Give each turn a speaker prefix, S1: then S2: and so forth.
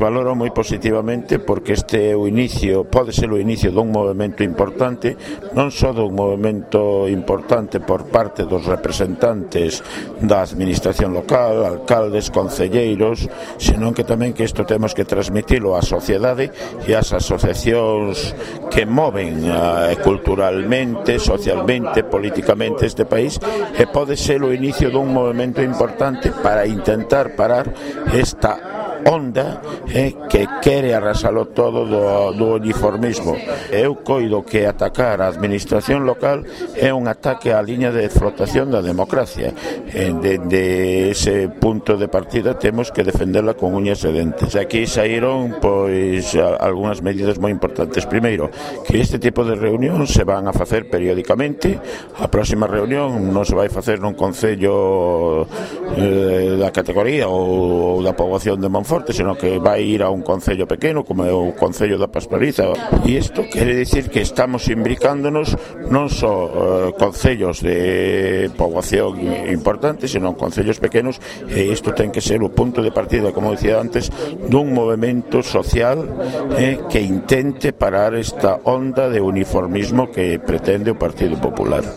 S1: Valoro moi positivamente porque este é o inicio, pode ser o inicio dun movimento importante, non só dun movimento importante por parte dos representantes da administración local, alcaldes, concelleiros, senón que tamén que isto temos que transmitilo á sociedade e ás asociacións que moven culturalmente, socialmente, políticamente este país, e pode ser o inicio dun movimento importante para intentar parar esta onda que quere arrasalo todo do uniformismo. Eu coido que atacar a administración local é un ataque á liña de flotación da democracia. Dende ese punto de partida temos que defenderla con uñas e dentes. Aquí saíron pois algunhas medidas moi importantes. Primeiro, que este tipo de reunións se van a facer periódicamente. A próxima reunión non se vai facer nun concello da categoría ou da poboación de Monforte, senón que vai ir a un concello pequeno como é o concello da Pastoriza, e isto quere dicir que estamos imbricándonos non só concellos de poboación importantes, senón concellos pequenos, e isto ten que ser o punto de partida, como dicía antes, dun movimento social que intente parar esta onda de uniformismo que pretende o Partido Popular.